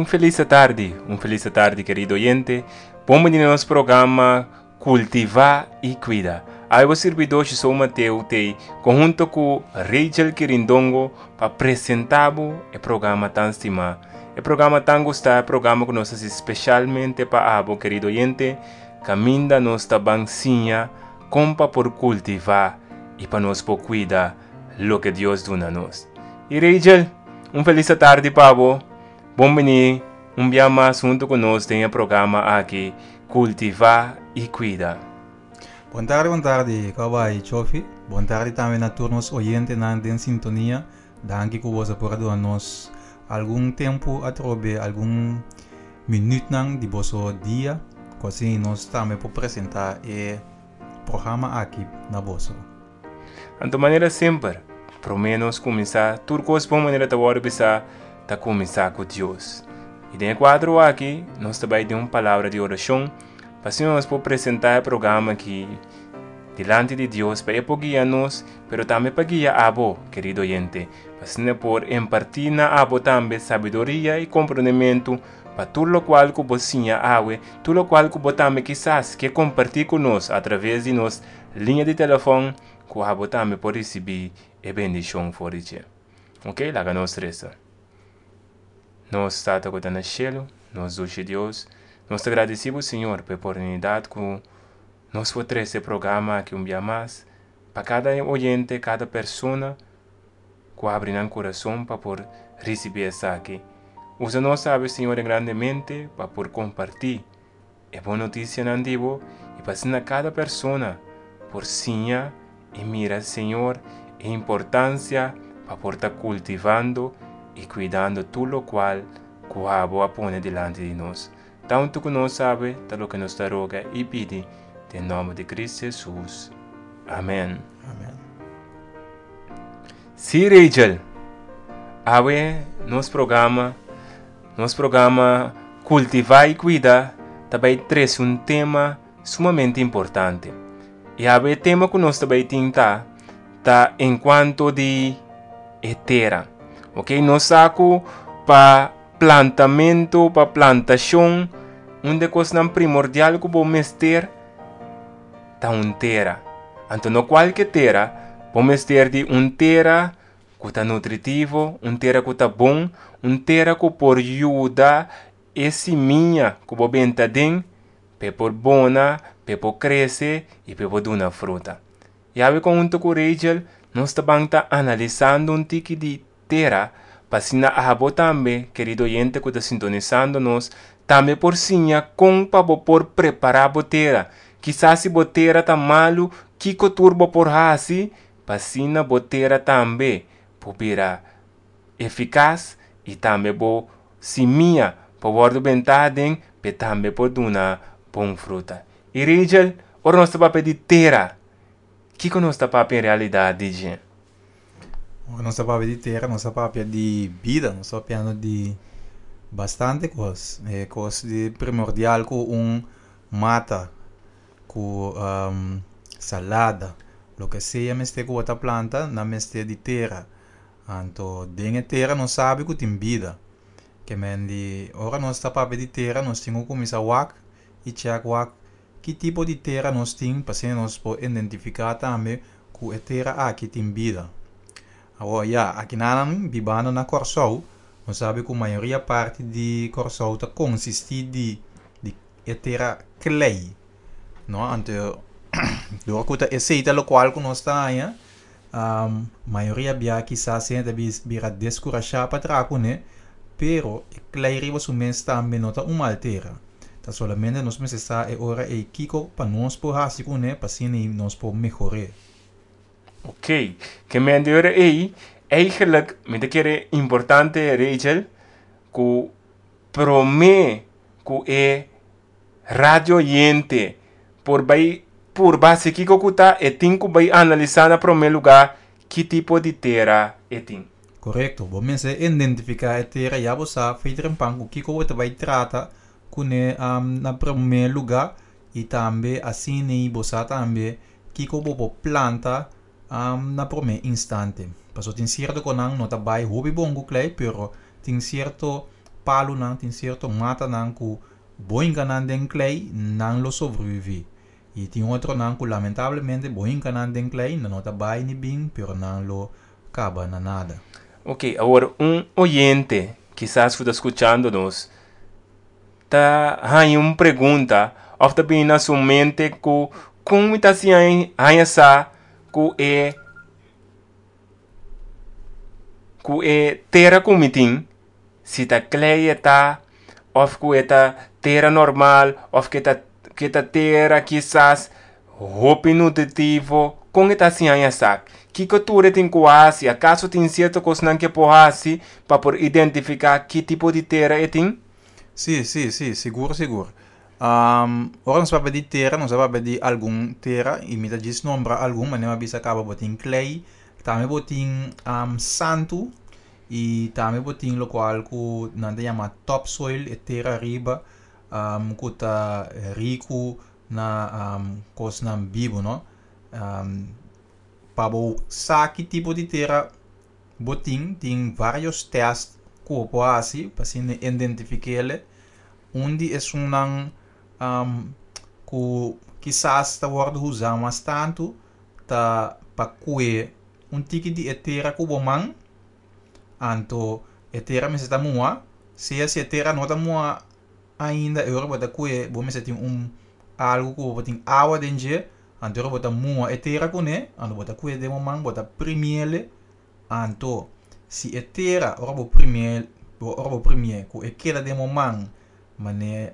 Un felis atardi, un felis atardi kerido oyente. Bon bini na nos programa Kultivá i Kuida. Awe bo sirbidó Jisou Mateo t'ei konhunto ku Rachel Kirindongo pa presentá bo e programa tan stimá, e programa tan gustá, e programa ku nos hasi speshalmente pa abo kerido oyente, kaminda nos ta ban siña kon pa por kultivá i pa nos por kuida loke Dios duna nos. I Rachel, un felis atardi pa bo. Bon bini un bia mas huntu ku nos den e programa aki Kultivá i Kuida. Bon tardi, bon tardi, Kòbai Chofi. Bon tardi tambe na tur nos oyentenan den sintonia. Danki ku boso por a duna nos algun tempu atrobe, algun minütnan di boso dia, ku asina nos tambe por presentá e programa aki na boso. Anto manera semper, promé nos kuminsá tur kos bon manera ta wòrdu bisá, ta kuminsá ku Dios. I den e kuadro aki nos ta bai den un palabra di orashon pa asina nos por presentá e programa aki dilanti di Dios pa e por guia nos, pero tambe pa guia abo, kerido oyente, pa asina por impartí na abo tambe sabiduria i komprondementu pa tur lokual ku bo siña awe, tur lokual ku bo tambe kisas ke kompartí ku nos atraves di nos Liña di telefòn ku abo tambe por risibí e bendishon for di dje. Ok, laga nos resa. Nos Tata ku ta na shelu, nos dushi Dios, nos ta gradisí bo Señor pa e oportunidat ku nos por trese e programa aki un bia mas pa kada oyente, kada persona ku abri nan kurason pa por risibí esaki. Usa nos awe Señor grandemente pa por kompartí E bon notisianan di bo i pa asina kada persona por siña i mira Señor e importansia pa por ta kultivando i kuidando tur lokual ku abo a pone dilanti di nos. Tantu ku nos sabe ta loke nos ta roga i pidi den nòmber di Kristu Hesus. Amen. Amen. Sí, Rachel. Awe nos programa Nos programa Kultivá i Kuida ta bai trese un tema sumamente importante. I awe e tema ku nos ta bai tin ta ta enkuanto di e tera. Ok, nos sa ku pa plantamentu, pa plantashon, un di e kosnan primordial ku bo mester ta un tera. Anto no kualke tera, bo mester di un tera ku ta nutritivo, un tera ku ta bon, un tera ku por yuda e simia ku bo benta aden p'e por bona, p'e por krese i p'e por duna fruta. Yawe konhunto ku Rachel nos ta ban ta analisando un tiki di tera pa asina abo tambe, kerido oyente ku ta sintonisando nos, tambe por siña kon pa bo por prepará bo tera. Kisas si bo tera ta malu, kiko tur bo por hasi Pa asina bo tera tambe por bira efikas i tambe bo simia por wòrdu bentá aden p'e tambe por duna bon fruta. I Rachel, ora nos ta papia di tera, kiko nos ta papia en realidat di dje? Ora nos ta papia di tera, nos ta papia di bida, nos ta papiando di bastante kos. E kos di primordial ku un mata ku salada, loke sea mester ku bo ta planta, nan mester di tera. Anto den e tera nos sabi ku tin bida. Ke men di ora nos ta papia di tera nos tin ku kuminsá wak i chèk wak ki tipo di tera nos tin pa asina nos por identifiká tambe ku e tera aki tin bida. Awor ya, akinanan bibando na Kòrsou nos sabi ku mayoria parti di Kòrsou ta konsistí di di e tera klei no anto dor ku ta esei ta lokual ku nos ta haña mayoria bia kisas hende ta bira deskurashá pa traha kuné pero e klei riba su mes tambe no ta un mal tera ta solamente nos mester sa e ora ei kiko pa nos por hasi kuné pa asina nos por mehor'é. Ok, ke men di ora ei eigenlijk mi ta kere importante Rachel ku promé ku e radio oyente por bai purba hasi kiko ku ta, e tin ku bai analisá na promé lugá ki tipo di tera e tin. Korekto. Bo mester identifiká e tera ya bo sa fei trempan ku kiko bo ta bai trata kuné na promé lugá i tambe asina bo sa tambe kiko bo por planta na promé instante. Pasobra tin sierto konan no ta bai hopi bon ku klei pero tin sierto. Palunan, tin sierto matanan ku bo hinka nan den klei, nan lo sobreviví. I tin otronan ku lamentablemente bo hinka nan den klei, nan no ta bai ni bin, pero nan lo kaba na nada. Ok, awor un oyente kisas ku ta skuchando nos ta haña un pregunta òf ta bini na su mente ku kon mi ta hasi haña sa ku e ku e tera ku mi tin si ta klei e ta òf ku e ta tera normal òf ku e ta ku e ta tera kisas hopi nutritivo kon e ta hasi haña sa kiko tur e tin ku hasi akaso tin sierto kosnan ku e por hasi pa por identifiká ki tipo di tera e tin? Sí, sí, sí, sigur, sigur. Ora nos papia di tera, nos a papia di algun tera i mi ta djis nombra algun, manera mi a bisa kaba bo tin klei, tambe bo tin santu i tambe bo tin lokual ku nan ta yama topsoil, e tera ariba ku ta riku na kosnan bibu no. Pa bo sa ki tipo di tera bo tin, tin varios test ku bo por hasi pa asina identifik'é. Un di esunnan ku kisas ta wòrdu usá mas tantu ta pa kue un tiki di e tera ku bo man, anto e tera mester ta muha, sea si e tera no ta muha ainda e ora bo ta kue bo mester tin un algu ku bo tin awa den dje, anto e ora bo ta muha e tera kuné, anto bo ta kue den bo man bo ta primiele, anto si e tera ora bo primiel ora bo primié ku e keda den bo man mane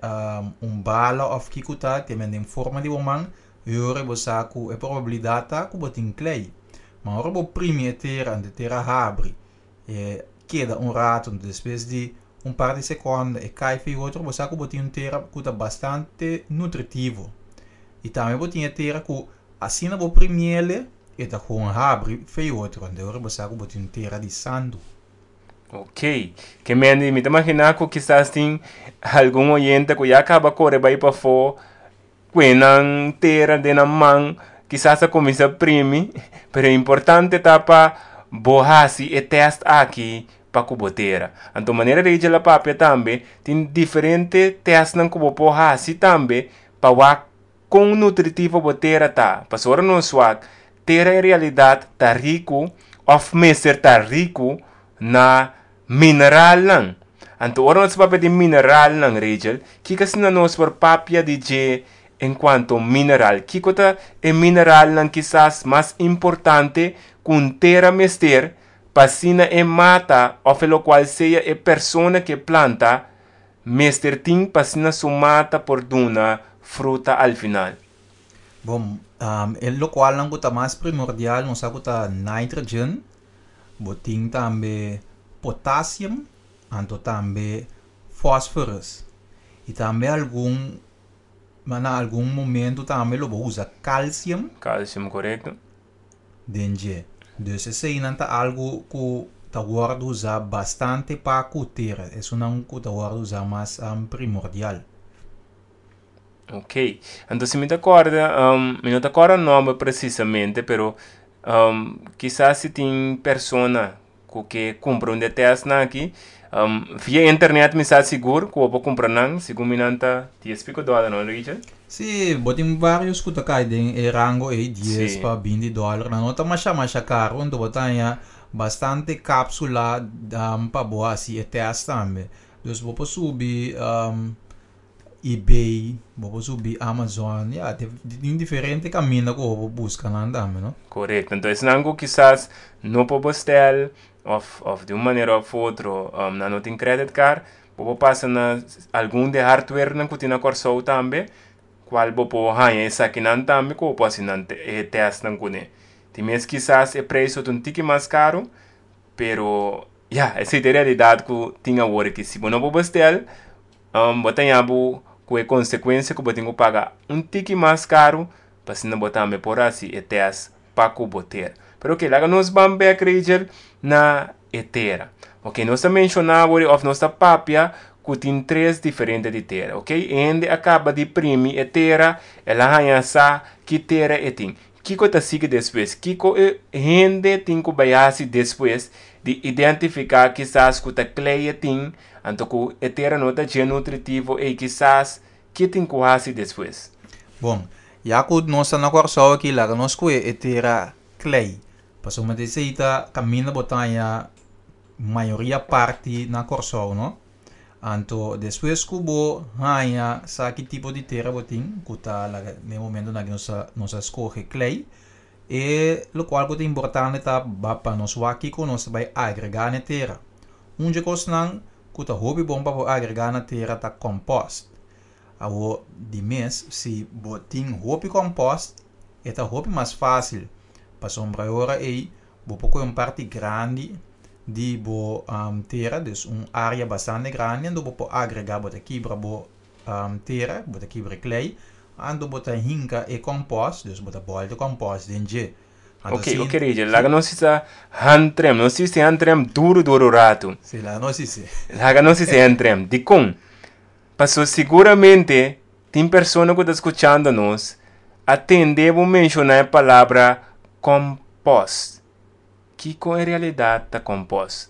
un bala òf kiko ta te men den forma di bo man e ora bo sa ku e probabilidat ta ku bo tin klei. Ma ora bo primi e tera anto e tera habri e keda un rato anto despues di un par di sekonda e kai for e otro bo sa ku bo tin un tera ku ta bastante nutritivo. I tambe bo tin e tera ku asina bo primiele e ta gewoon habri for e otro anto e ora bo sa ku bo tin un tera di sandu. Ok, ke mende mi ta imaginá ku kisas tin algun oyente ku ya kaba kore bai pafó Kue nan tera den nan man kisas a kuminsá primi, pero importante ta pa bo hasi e tèst aki pa ku bo tera. Anto manera Rachel a papia tambe, tin diferente tèstnan ku bo por hasi tambe pa wak kon nutritivo bo tera ta. Pasobra ora nos wak, tera en realidat ta riku òf mester ta riku na Mineralnan. Anto ora nos papia di mineralnan, Rachel, kiko asina nos por papia di dje en cuanto mineral? Kiko ta e mineralnan kisas mas importante cu un tera mester pa asina e mata of e locual sea e persona ke planta mester tin pa asina su mata por duna fruta al final? Bon, e locualnan cu ta mas primordial nos sa cu ta nitrogen, Bo tin tambe potassium, anto tambe phosphorus. I tambe algun, ma na algun momento tambe lo bo usa calcium. Calcium, korekto. Den dje. Dus eseinan ta algu ku ta wòrdu usá bastante pa ku tera. Esunnan ku ta wòrdu usá mas primordial. Ok, anto si mi ta kòrda, mi no ta kòrda nòmber presisamente, pero kisas si tin persona ku ke kumpra un di e tèstnan aki, via internet mi sa sigur ku bo por kumpra nan, segun mi nan ta dies piko dòler, no Richard? Sí, bo tin varios ku ta kai den e rango ei, dies pa binti dòler, nan no ta masha masha karu, anto bo ta haña bastante kapsula pa bo hasi e tèst tambe. Dus bo por subi eBay, bo por subi Amazon, ya, tin diferente kaminda ku bo por buska nan tambe, no? Korekto. Enton esnan ku kisas no por bestel òf òf di un manera òf otro nan no tin credit card, bo por pasa na algun di e hardwarenan ku tin na Kòrsou tambe, kual bo por haña esakinan tambe ku bo por hasi nan e tèstnan kuné. Tin mes kisas e preis lo ta un tiki mas karu, pero ya, esei ta e realidat ku tin awor aki. Si bo no por bestel, Bo ta ña bo ku e konsekuensia ku bo tin ku paga un tiki mas karu pa asina bo tambe por hasi e tèst pa ku bo tera. Pero oke, laga nos ban bèk Rachel na e tera. Oke, nos ta menshoná awor òf nos ta papia ku tin tres diferente di tera. Oke, e hende a kaba di primi e tera, el a haña sa ki tera e tin. Kiko ta sigui despues? Kiko e hende tin ku bai hasi despues di identifiká kisas ku ta klei e tin, anto ku e tera no ta dje nutritivo ei kisas? Ki tin ku hasi despues? Bon, ya ku nos ta na Kòrsou aki laga nos kue e tera klei. Pasobra ta esei ta kaminda bo ta haña mayoria parti na Kòrsou, no? Anto despues ku bo haña sa ki tipo di tera bo tin, ku ta laga den e momentonan aki nos a nos a skohe klei, e lokual ku ta importante ta pa nos wak kiko nos ta bai agregá na e tera. Un dje kosnan ku ta hopi bon pa bo agregá na tera ta kòmpòst. Awor di mes si bo tin hopi kòmpòst e ta hopi mas fásil pasobra e ora ei bo por kohe un parti grandi di bo tera, dus un área bastante grandi anto bo por agregá, bo ta kibra bo tera, bo ta kibra e klei, anto bo ta hinka e kòmpòst, dus bo ta bòlta e kòmpòst den dje. Anto Ok, si ok Rachel, laga nos hisa handrem, nos hisa handrem duru duru ratu. Si, laga nos hisa. Laga nos hisa handrem. Dikon? Paso siguramente tin persona ku ta skuchando nos a tende bo menshoná e palabra kòmpòst. Kiko en realidat ta kòmpòst?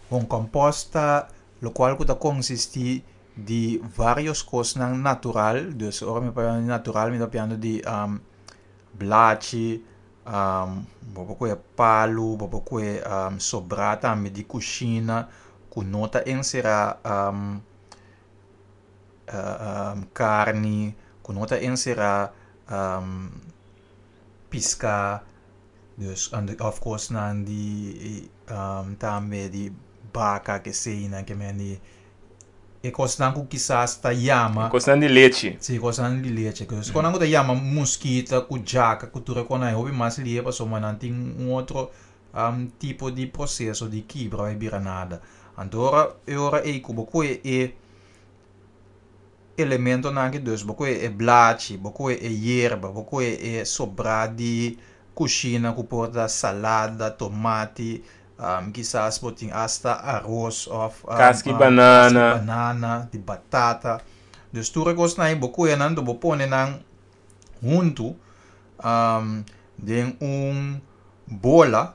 Bon, kòmpòst ta lokual ku ta konsistí di vários kosnan natural, dus ora mi papia di natural mi ta papiando di blachi, bo por kohe palu, bo por kohe sobrá tambe di kushina ku no ta enserá karni, ku no ta enserá piská, dus òf kosnan di tambe di baka keseinan ke men di e kosnan ku kisas ta yama. E kosnan di lechi. Si, e kosnan di lechi. E kosnan ku ta yama muskita ku djaka ku tur e kosnan e hopi mas lie pasobra nan tin un otro tipo di proseso di kibra bai bira nada. Anto ora e ora ei ku bo kohe e elementonan aki dus bo kohe e blachi, bo kohe e yerba, bo kohe e sobrá di kushina ku por ta salada, tomati, kisas bo tin asta aros òf Kaski banana. Kaski banana, di batata. Dus tur e kosnan ei bo kohe nan bo pone nan huntu den un bola.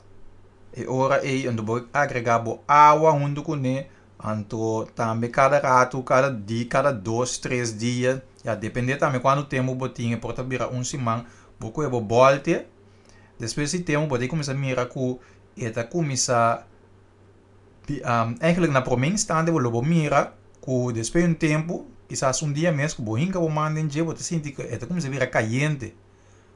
E ora ei anto bo agregá bo awa huntu kuné. Anto tambe kada ratu, kada di, kada dos, tres dia, ya depende tambe kuantu tempu bo tin, e por ta bira un siman, bo kohe bo bòlt'e. Despues di tempu bo ta kuminsá mira ku e ta kuminsá eigenlijk na promé instante bo lo bo mira ku despues di un tempu, kisas un dia mes ku bo hinka bo man den dje bo ta sinti ku e ta kuminsá bira kayente.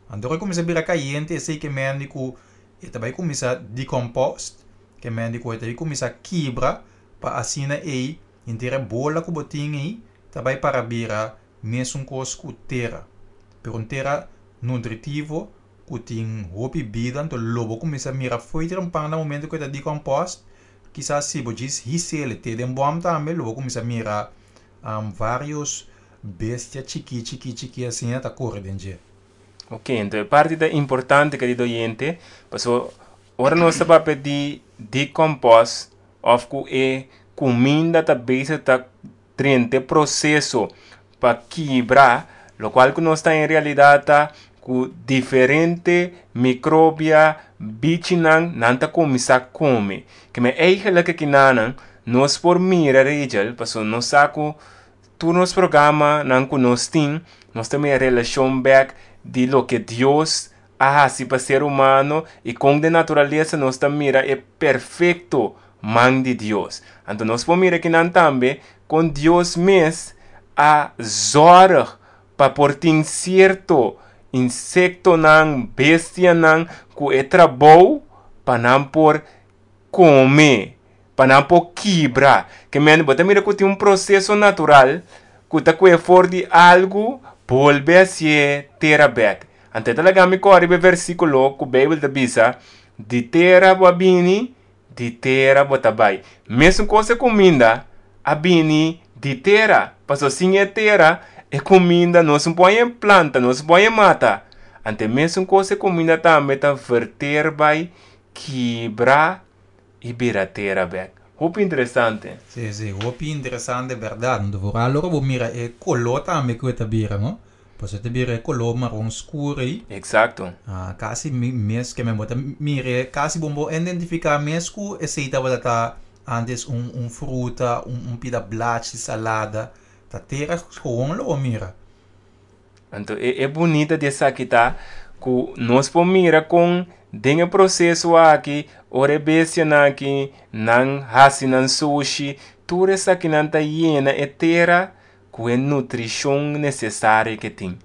Anto ora e kuminsá bira kayente esei ke mende ku e ta bai kuminsá dekompost, ke mende ku e ta bai kuminsá kibra pa asina ei henter e bola ku bo tin ei ta bai para bira mesun kos ku tera. Pero un tera nutritivo ku tin hopi bida, anto lo bo kuminsá mira fo'i trempan na momento ku e ta dekompost, kisas si bo djis his'el te den bòm tambe lo bo kuminsá mira varios bestia chikí chikí chikí asina ta kore den dje. Ok, anto e parti ta importante kerido oyente, paso ora nos ta papia di dekompost òf ku e kuminda ta bezig ta drenta e proseso pa kibra, lokual ku nos ta en realidat ta ku diferente mikrobia, bichinan, nan ta kuminsá kome. Keme eigenlijk akinanan nos por mira Rachel, pasobra nos sa ku tur nos programanan ku nos tin, nos ta mira relashon bèk di loke Dios a hasi pa ser humano i kon den naturalesa nos ta mira e perfekto man di Dios. Anto nos por mira kinan tambe kon Dios mes a zòrg pa por tin sierto insektonan, bestianan ku e trabou pa nan por kome, pa nan por kibra. Ke men bo ta mira ku tin un proseso natural ku ta kue for di algu bolbe hasié tera bèk. Anto e ta laga mi kòrda riba e versíkulo ku Beibel ta bisa, Di tera bo a bini, di tera bo ta bai. Mesun kos e kuminda a bini di tera, pasobra sin e tera e kuminda no su por haña planta, no su por haña mata. Anto e mesun kos e kuminda tambe ta verter bai kibra i bira tera bek. Hopi interesante. Sí, sí, hopi interesante berdad. Anto vooral ora bo mira e color tambe cu e ta bira, no? Pues e ta bira e koló maron skur ei. Eksakto. Ah, kasi mi mes ke men bo ta mira kasi bo bo identifiká mes ku esei tabata ta antes un un fruta, un un pida blachi salada. Ta tera gewoon lo bo mira. Anto e e bunita di esaki ta ku nos por mira kon den e proseso aki ora e bestianan aki nan hasi nan sushi, tur esakinan ta yena e tera ku e nutrishon nesesario ke tin.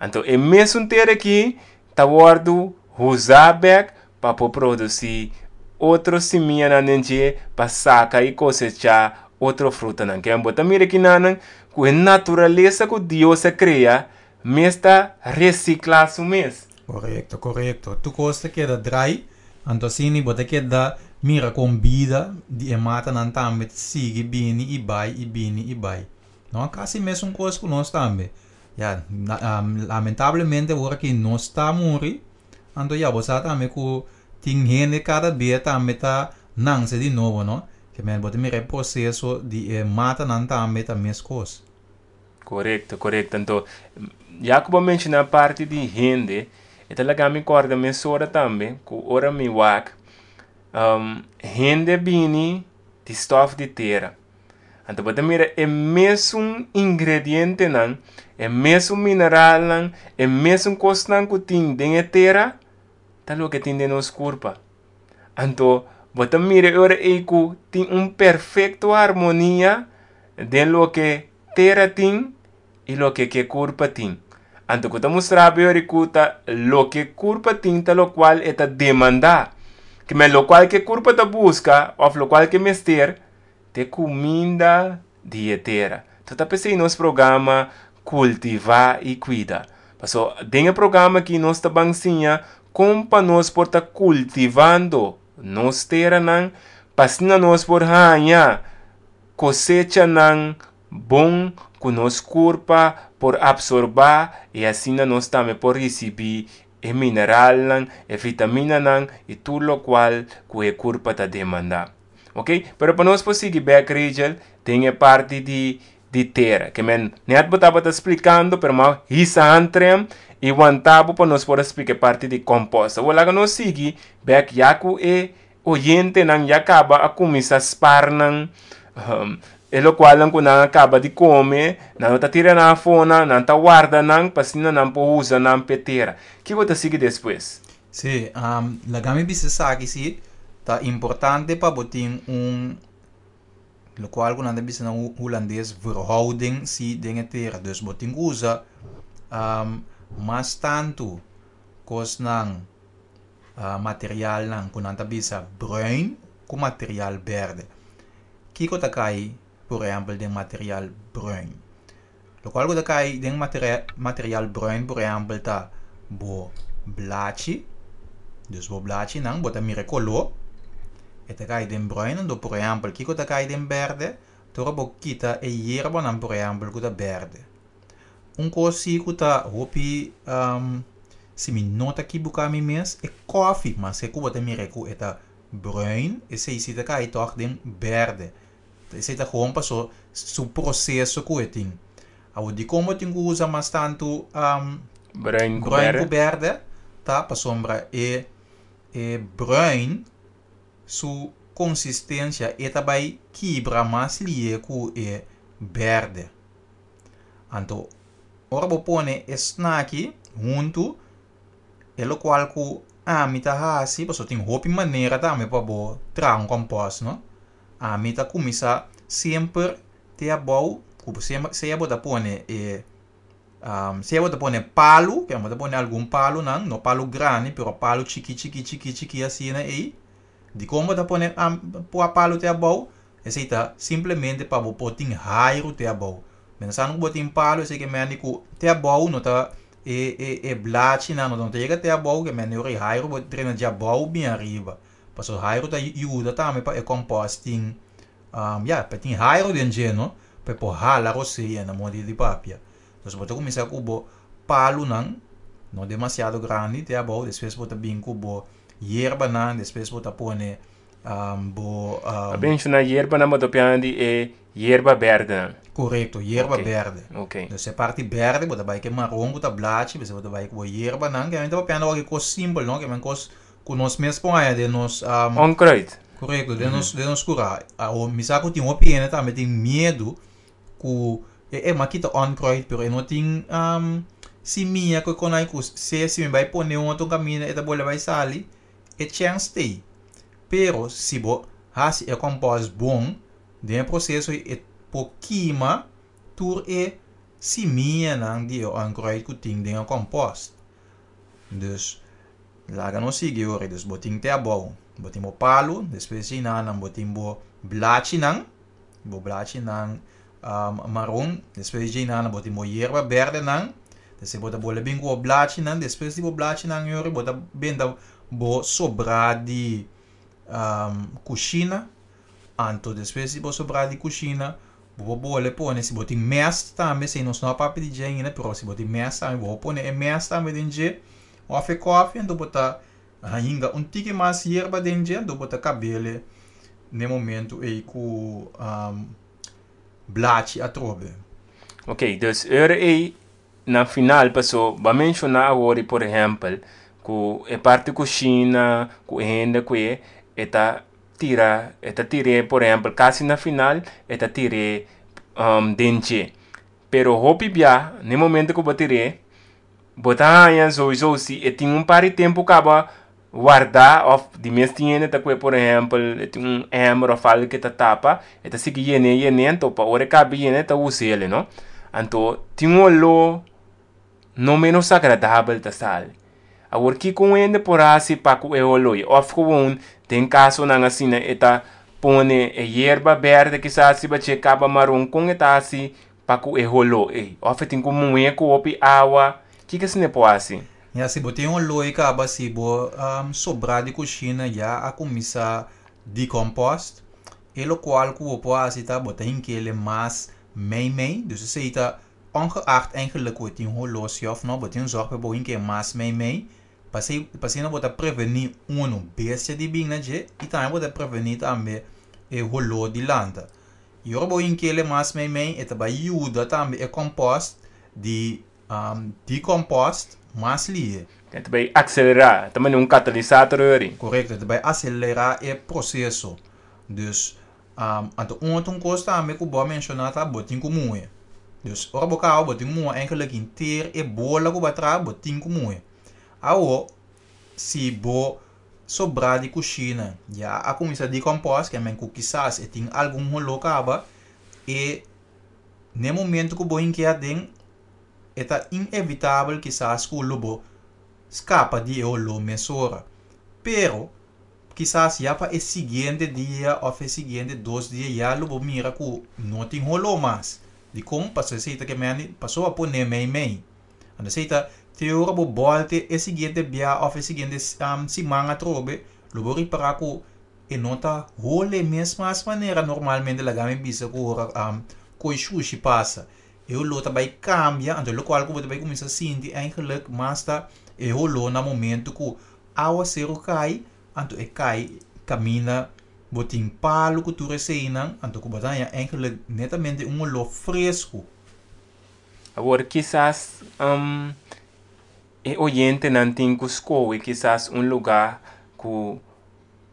Anto e mesun tera aki ta wòrdu huzá bèk pa por produsí otro simianan den dje pa saka i kosechá otro frutanan. Ke bo ta mira kinanan ku e naturalesa ku Dios a krea mes ta resiklá su mes. Korekto, korekto. Tur kos ta keda drai, anto asina bo ta keda mira kon bida di e matanan tambe ta sigui bini i bai i bini i bai. No kasi mesun kos ku nos tambe. Ya, lamentablemente awor aki nos ta muri, anto ya bo sa tambe ku tin hende kada bia tambe ta nanse di nobo, no? Ke men bo ta mira e proseso di e matanan tambe ta meskos. Korekto, korekto. Anto, ya ku bo a menshoná parti di hende, e ta laga mi kòrda mesora tambe ku ora mi wak, hende bini di stòf di tera. Anto bo ta mira e mesun ingredientenan, e mesun mineralnan, e mesun kosnan ku tin den e tera, ta loke tin den nos kurpa. Anto bo ta mira e ora ei ku tin un perfekto harmonia den loke tera tin i loke ke kurpa tin. Anto ku ta mustra bo e ora ku ta loke kurpa tin ta lokual e ta demandá. Kimen lokual ke kurpa ta buska òf lokual ke mester ta e kuminda di e tera. Anto ta p'esei nos programa Kultivá i Kuida. Paso den e programa aki nos ta ban siña kon pa nos por ta kultivando nos teranan pa asina nos por haña kosechanan bon ku nos kurpa por apsorbá i asina nos tambe por risibí e mineralnan, e vitaminanan i tur lokual ku e kurpa ta demandá. Ok, pero pa nos por sigui bek Rachel den e parti di di tera. Ke men net bo tabata splikando pero m'a hisa hantrem i wanta bo pa nos por a splika e parti di kompost. Awor laga nos sigui bek ya ku e oyentenan ya kaba a kuminsá spar nan e lokualnan ku nan a kaba di kome, nan no ta tira nan afó nan, nan ta warda nan pa asina nan por usa nan p'e tera. Kiko ta sigui despues? Sí, laga mi bisa esaki sí, ta importante pa bo tin un lokual ku nan ta bisa na hulandes verhouding sí den e tera. Dus bo tin ku usa mas tantu kosnan materialnan ku nan ta bisa bruin ku material berde. Kiko ta kai por ehèmpel den material bruin? Lokual ku ta kai den material bruin por ehèmpel ta bo blachi, dus bo blachinan bo ta mira e koló e ta kai den bruin anto por ehèmpel kiko ta kai den berde? Ta ora bo kita e yerbanan por ehèmpel ku ta berde. Un kos si ku ta hopi si mi no ta kibuká mi mes e kòfi maske ku bo ta mira ku e ta bruin esei si ta kai tòg den berde. Esei ta gewoon paso su proseso ku e tin. Awor dikon bo tin ku usa mas tantu Bruin ku bruin ku berde. berde ta pasobra e e bruin su konsistensia e ta bai kibra mas lihe ku e berde. Anto ora bo pone e snaki huntu E lokual ku ami ta hasi, pasobra tin hopi manera tambe pa bo traha un kòmpòst, no. Ami ta kuminsá semper te abou ku sea bo ta pone e sea bo ta pone palu, ke bo ta pone algun palunan, no palu grandi pero palu chiki chiki chiki chiki asina ei. Dikon bo ta pone palu te abou? Esei ta simplemente pa bo por tin hairu te abou. Pensando ku bo tin palu esei ke mende ku te abou no ta e e e blachinan no ta yega te abou ke mende ora e hairu bo drena dje abou bin ariba. Pasobra hairu ta yuda tambe pa e compost tin ya pa tin hairu den dje no pa e por hala rosea na modo di papia. Entonces bo ta kuminsá ku bo palunan no demasiado grandi te abou despues bo ta bin ku bo yerbanan despues bo ta pone. Bo A menshoná yerbanan, bo ta pian di e yerba bèrdenan. Korekto, yerba bèrde. Dus e parti bèrde bo ta bai ku e maron ku ta blachi, bes bo ta bai ku bo yerbanan. Ke men ta papiando wak e kos simpel, no? Ke men kos ku nos mes por haña den nos Onkruid. Korekto, den nos den nos kurá. Awor mi sa ku tin hopi hende tambe tin miedu ku e e m'a kita onkruid pero e no tin simia ku e konai ku se si mi bai pone un otro kaminda e ta bolbe bai sali. E chèns t'ei. Pero si bo hasi e kòmpòs bon, den e proseso ei e por kima tur e simianan di e onkruid ku tin den e kòmpòst. Dus, laga nos sigui ora. Dus bo tin te abou, bo tin bo palu, despues di nan bo tin bo blachinan, bo blachinan maron, despues di nan bo tin bo yerba berdenan, despues bo ta bolbe bin ku bo blachinan, despues di bo blachinan yori bo ta benta bo sobrá di kushina, anto despues di bo sobrá di kushina bo por bolbe pone si bo tin mèst tambe, esei nos no a papia di dje ainda, pero si bo tin mèst tambe bo por pone e mèst tambe den dje òf e kòfi, anto bo ta hinga un tiki mas yerba den dje, anto bo ta kab'el n'e momento ei ku blachi atrobe. Ok, dus ora ei na final paso bo a menshoná awor por ehèmpel ku e parti kushina ku e hende ku e e ta tira e ta tir'é por ehèmpel kasi na final e ta tir'é den dje. Pero hopi bia na e momento ku bo tir'é Bo ta haña souiso si e tin un par di tempu kaba wardá òf di mes tin hende ta kue por ehèmpel e tin un emmer òf algu ke ta tapa e ta sigui yen'é yen'é anto pa ora e kaba yen'é ta us'el no. Anto tin un oló no menos agradabel ta sali. Awor kiko un hende por hasi pa ku e oló ei òf gewoon den kasonan asina e ta pone e yerba bèrdè kisas riba dje kaba maron kon e ta hasi Pa ku e holó ei. Òf e tin ku muhé ku hopi awa. Kiko esei por hasi? Ya, si bo tin holó ei kaba, si bo sobrá di kushina ya a kuminsá dekompost, e lokual ku bo por hasi ta bo ta hink'el mas mei mei. Dus esei ta ongeacht eigenlijk ku e tin holó si òf no, bo tin zòrg pa bo hink'é mas mei mei. Pasei pasina bo ta prevení unu bestia di bin na dje i tambe bo ta prevení tambe e holó di lanta. I ora bo hink'el e mas meimei e ta bai yuda tambe e compost di decompost mas lihe. E ta bai akselerá, e ta manda un katalisator ori. Korekto, e ta bai aselerá e proseso. Dus, anto un otro kos tambe ku bo a menshoná ta bo tin ku muhe. Dus, ora bo kaba bo tin ku muha eigenlijk henter e bola ku bo a traha bo tin ku muhe. Awo, si bo sobrá di kushina ya a kuminsá dekompòs, ke men ku kisas e tin algun holó kaba, e n'e momento ku bo hink'é aden, e ta inevitabel kisas ku lo bo skapa di e holó mesora. Pero, kisas ya pa e siguiente dia òf e siguiente dos dia ya lo bo mira ku no tin holó mas. Dikon? Pasobra esei ta ke men pasobra a pon'é meimei. Anto esei ta te ora bo bòlte e siguiente bia òf e siguiente siman atrobe, lo bo ripará ku e no ta hole mes mas manera normalmente laga mi bisa ku ora koi shushi pasa. E holó ta bai kambia, anto lokual ku bo ta bai kuminsá sinti eigenlik mas ta e holó na momentu ku awaseru kai, anto e kai kaminda bo tin palu ku tur eseinan, anto ku bo ta haña eigenlik netamente un holó fresku. Awor kisas e oyentenan tin ku skohe kisas un lugá ku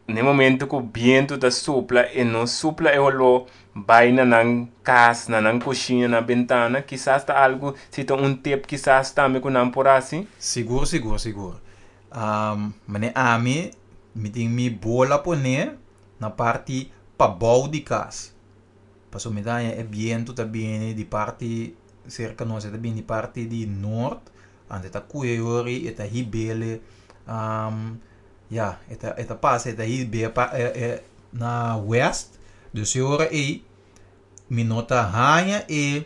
na e momento ku bientu ta supla e no supla e holó bai na nan kas, na nan kushina, na bentana. Kisas ta algu, si ta un tip kisas tambe ku nan por hasi. Sigur, sigur, sigur. Manera ami, mi tin mi bola poné na parti pabou di kas. Pasobra mi ta haña e bientu ta bini di parti serka nos, e ta bini di parti di nort, anto e ta kuye yori, e ta hib'el ya, e ta e ta pasa e ta hib'é pa e na west, dus e ora ei mi no ta haña e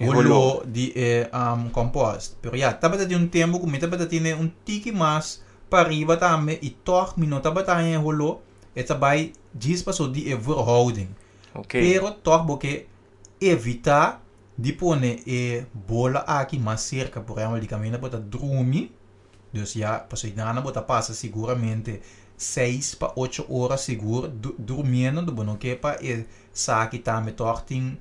holó di e kompost. Pero ya, tabata tin un tempu ku mi tabata tene un tiki mas pariba tambe i tòg mi no tabata haña e holó, e ta bai djis paso di e verhouding. Pero tòg bo ke evitá di pone e bola aki mas serka, por ehèmpel di kaminda bo ta drumi. Dus ya, pasobra einan bo ta pasa siguramente 6 pa 8 ora sigur durmiendo, bo no ke pa esaki tambe toch tin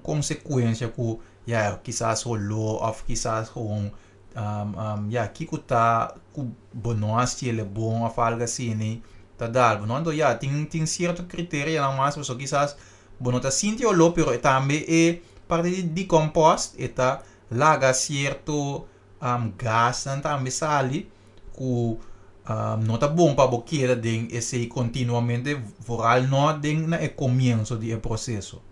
konsekuensia ku ya kisas holó òf kisas gewoon ya kiko ta ku bo no hasi el bon òf algu asina ta dal bo no. Anto ya tin sierto kriterianan mas, pasobra kisas bo no ta sinti holó, pero tambe e parti di decompost e ta laga sierto gasnan tambe sali ku no ta bon pa bo keda den esei kontinuamente, vooral no den na e komienso di e proseso.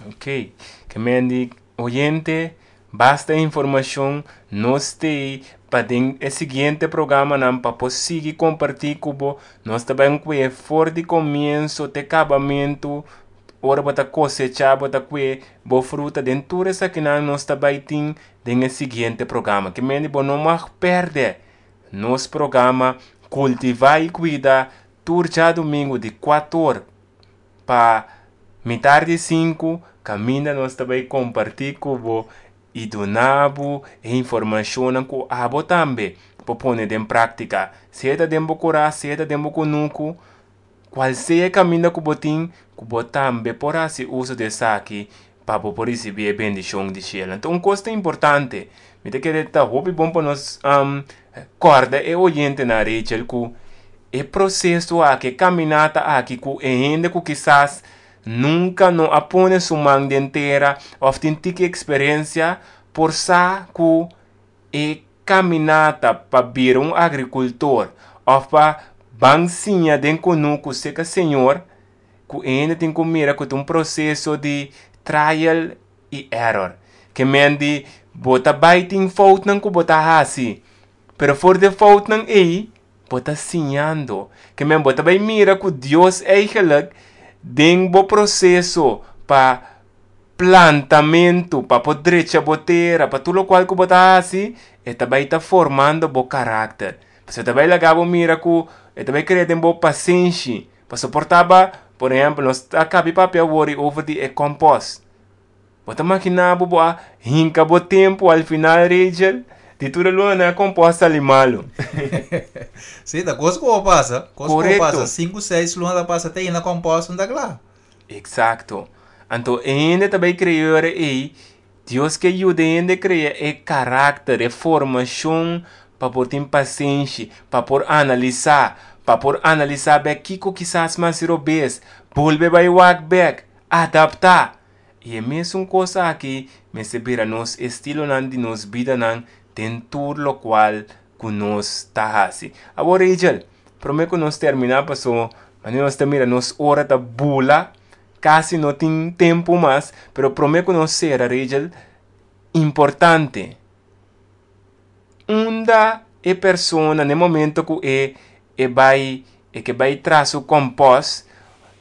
Ok, ke men di oyente, basta informashon nos tei pa den e siguiente programanan pa por sigui kompartí ku bo. Nos ta bai kue for di komienso te kabamentu, ora bo ta kosechá, bo ta kue bo fruta den tur esakinan nos ta bai tin den e siguiente programa. Ke men di bo no mag pèrdè nos programa Kultivá i Kuida tur djadumingu di 4 or pa mitar di 5, kaminda nos ta bai kompartí ku bo i duna bo e informashonnan ku abo tambe por pone den práktika. Sea ta den bo kurá, sea ta den bo kunuku, kual sea e kaminda ku bo tin, ku bo tambe por hasi uso di esaki pa bo por risibí e bendishon di shelu. Anto un kos ta importante, mi ta kere ta hopi bon pa nos kòrda e oyentenan, Rachel, ku e proseso aki, e kaminata aki ku e hende ku kisas nunka no a pone su man den tera òf tin tiki eksperensia por sa ku e kaminata pa bira un agrikultor òf pa ban siña den kunuku seka Señor, ku e hende tin ku mira ku ta un proseso di trial i error. Ke men di bo ta bai tin foutnan ku bo ta hasi, pero for di e foutnan ei bo ta siñando. Ke men bo ta bai mira ku Dios eigenlijk den bo proseso pa plantamentu, pa por drecha bo tera, pa tur lokual ku bo ta hasi, e ta bai ta formando bo karakter. Pasobra e ta bai laga bo mira ku e ta bai krea den bo pasenshi. Pasobra por taba, por ehempel, nos ta kabi papia awor over di e kompost. Bo ta makina bo bo a hinka bo tempu al final, Rachel, di tur e luna nan e kompost sali malu. Sí, ta kos ku bo pasa. Kos ku bo pasa. 5, 6 luna ta pasa te ainda kompost no ta kla. Eksakto. Anto e hende ta bai krea ora ei, Dios ke yuda e hende krea e karakter, e formashon pa por tin pasenshi, pa por analisá, pa por analisá bèk kiko kisas mas robes, bolbe bai wak bèk, adaptá. I e mesun kos aki mester bira nos estilonan di nos bidanan den tur lokual ku nos ta hasi. Awor Rachel, promé ku nos terminá paso manera nos ta mira nos ora ta bula, kasi no tin tempu mas, pero promé ku nos sera Rachel, importante, unda e persona na e momento ku e e bai e ke bai traha su kompost,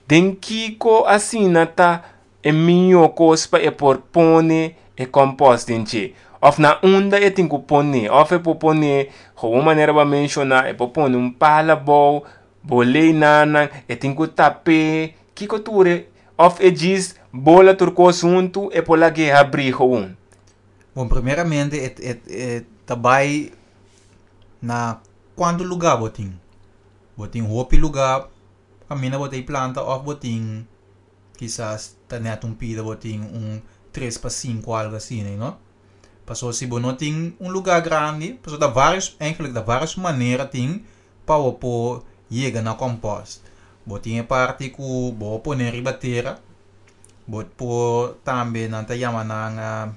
den kiko asina ta e mihó kos pa e por pone e kompost den dje? Òf na unda e tin ku pone? Òf e por pone, gewoon manera bo a menshoná, e por pone un pala abou, bolei nannan, e tin ku tap'é, kiko tur e, òf e djis bola tur kos huntu e por lag'é habrí gewoon? Bon, primeramente e e e ta bai na kuantu lugá bo tin. Bo tin hopi lugá kaminda bo ta e planta òf bo tin kisas ta nèt un pida bo tin un tres pa sinku algu asina, you know. Pasobra si bo no tin un lugá grandi, pasobra ta vários, eigenlijk ta vários manera tin pa bo por yega na kòmpòst. Bo tin e parti ku bo pone riba tera. Bo por tambe nan ta yama nan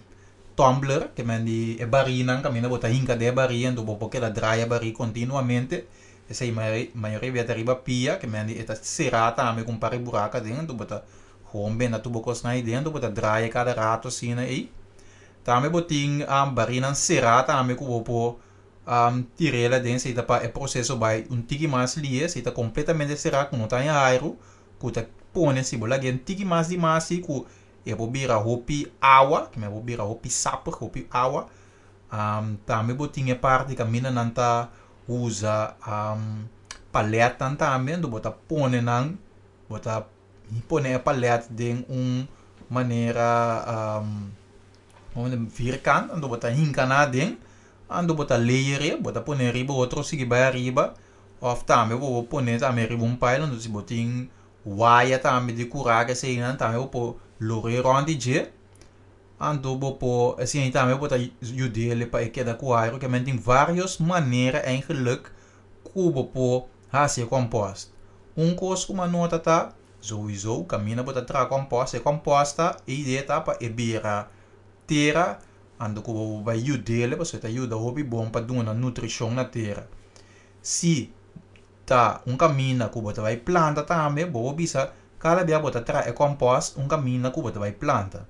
tumbler, ke men di e barinan kaminda bo ta hinka den e bari anto bo por keda draai e bari kontinuamente. Esei mayoria bia ta riba pia, ke men di e ta será tambe ku un par di buraka aden anto bo ta gewoon benta tur bo kosnan ei den anto bo ta draai e kada rato asina ei. Tambe bo tin barinan será tambe ku bo por tir'el aden, esei ta pa e proseso bai un tiki mas lihe, esei ta kompletamente será ku no ta haña airu. Ku ta pone si bo lag'é un tiki mas di mas si ku e por bira hopi awa, ku e por bira hopi sapig, hopi awa. Tambe bo tin e parti kaminda nan ta usa palètnan tambe, anto bo ta pone nan, bo ta pone e palèt den un manera vierkant, anto bo ta hinka nan aden. Anto bo ta layer e, bo ta pone riba otro sigui bai ariba, of tambe bo por pone tambe riba un pile, anto si bo tin waya tambe di kura eseinan tambe bo por lora e rond di dje. Anto bo por esei tambe bo ta yud'é pa e keda ku airu, ke men tin varios manera eigenlijk ku bo por hasi e compost. Un kos ku mi a nota ta, souiso kaminda bo ta traha compost, e compost ta e idea ta pa e bira tera, anto ku bo bai yud'é pasobra e ta yuda hopi bon pa duna nutrishon na tera. Si ta un kaminda ku bo ta bai planta tambe, bo por bisa kada bia bo ta traha e compost un kaminda ku bo ta bai planta.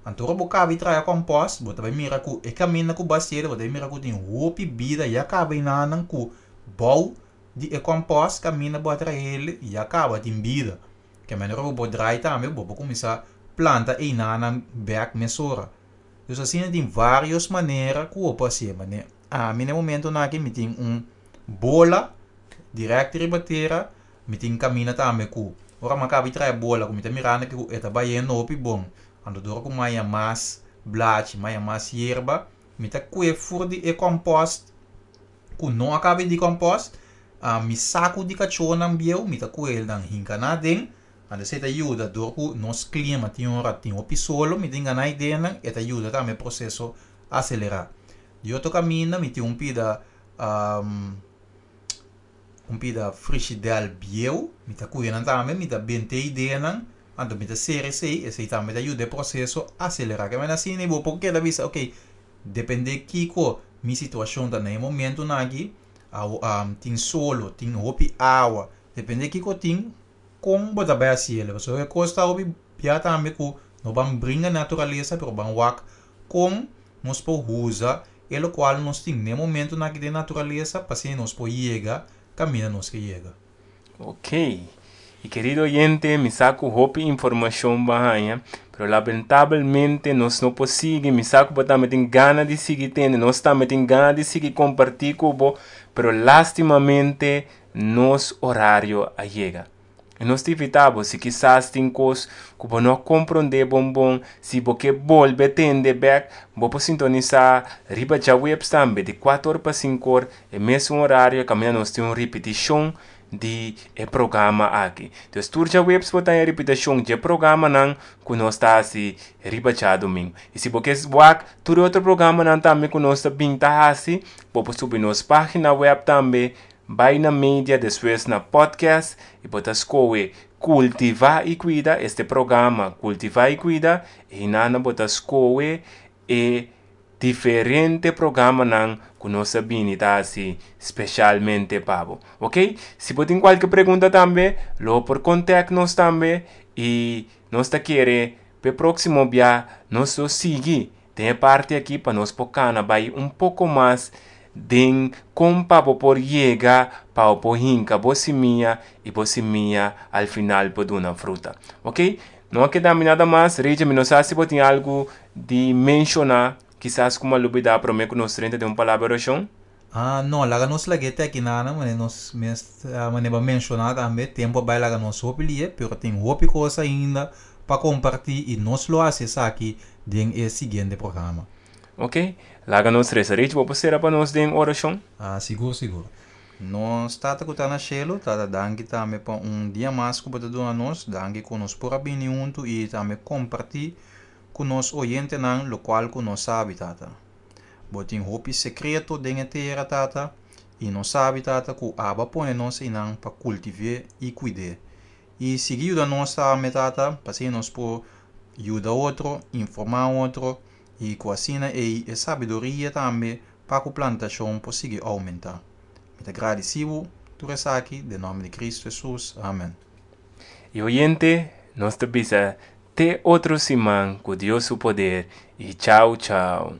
Anto ora bo kaba di traha e compost, bo ta bai mira ku e kaminda ku bo a hasié, bo ta bai mira ku tin hopi bida ya kaba enanan ku bou di e compost kaminda bo a traha ya kaba tin bida. Ke manera ku bo por drai tambe bo por kuminsá planta enanan bèk mesora. Dus asina tin varios manera ku bo por hasié. Mane ami na e momentonan aki mi tin un bola dirèkt riba tera, mi tin kaminda tambe ku ora mi a kaba di traha e bola ku mi ta mirando ku e ta bayendo hopi bon. Anto dor ku mi haña mas blachi, mi haña mas yerba, mi ta kue for di e compost ku no a kaba di compost, mi saku di kachónan bieu mi ta kue nan hinka nan aden. Anto esei ta yuda dor ku nos klima tin ora tin hopi solo, mi tin gana ideanan, e ta yuda tambe e proseso aselerá. Di otro kaminda mi tin un pida un pida frishidèl bieu, mi ta kuye nan tambe, mi ta bente ideanan, anto mi ta sera esei, esei tambe ta yuda e proseso aselerá. Ke manera asina bo por keda bisa ok, depende kiko mi situashon ta na e momentunan aki, tin solo, tin hopi awa, depende kiko tin, kon bo ta bai hasi el. Pasobra e kos ta hopi bia tambe ku no ban bringa naturalesa pero ban wak kon nos por usa e lokual nos tin na e momentunan aki den naturalesa pa asina nos por yega kaminda nos ke yega. Ok. Y querido oyente, mi sa cu hopi informacion bo a haña, pero lamentablemente nos no por sigui. Mi sa cu bo tambe tin gana di sigui tende, nos tambe tin gana di sigui comparti cu bo, pero lastimamente nos orario a yega. I nos ta invitá bo, si kisas tin kos ku bo no a komprondé bon bon, si bo ke bolbe tende bèk, bo por sintonisá riba djaweps tambe, di kuater or pa sinku or, e mesun orario kaminda nos tin un ripitishon di e programa aki. Dus tur djaweps bo ta haña ripitashon dje programanan ku nos ta hasi riba djadumingu. I si bo ke wak tur e otro programanan tambe ku nos ta bin ta hasi, bo por subi nos página wèp tambe Bai na media despues na podcast y bo ta scohe Cultiva y Cuida, este programa Cultiva y Cuida, y hinana bo ta scohe e diferente programanan cu nos a bini ta haci specialmente pa bo. Ok, si bo tin cualke pregunta tambe lo por contact nos tambe y nos ta kere p'e proximo bia nos lo sigui Den e parti aki pa nos por cana bay un poco mas den con pa bo por yega pa bo por hinca bo simia y bo simia al final por duna fruta. Ok, no a keda mi nada mas. Rachel, mi no sa si bo tin algo di menciona, kisas cu mi a lubida prome cu nos drenta den un palabra oracion. Ah, no, laga nos lag'é te aki nana, manera nos mes, manera bo a menciona tambe, tempo a bay laga nos hopi lie, pero tin hopi cos ainda pa comparti y nos lo haci esaki den e siguiente programa. Ok, laga nos reza. Rich, bo por cera pa nos den oracion? Ah, sigur, sigur. Nos Tata cu ta na cielo, Tata danki tambe pa un dia mas cu bo ta duna nos, danki cu nos por a bini hunto y tambe comparti cu nos oyentenan locual cu nos sabi, Tata. Bo tin hopi sekreto den e tera, Tata, i nos sabi, Tata, ku abo a pone nos einan pa kultiv'é i kuid'é. I sigui yuda nos tambe, Tata, pa asina nos por yuda otro, informá otro, i ku asina ei e sabiduria tambe pa ku plantashon por sigui oumentá. Mi ta gradisí bo tur esaki den nòmber di Kristu Hesus. Amen. I oyente, nos ta bisa Te otro siman ku Dios su poder i chau chau.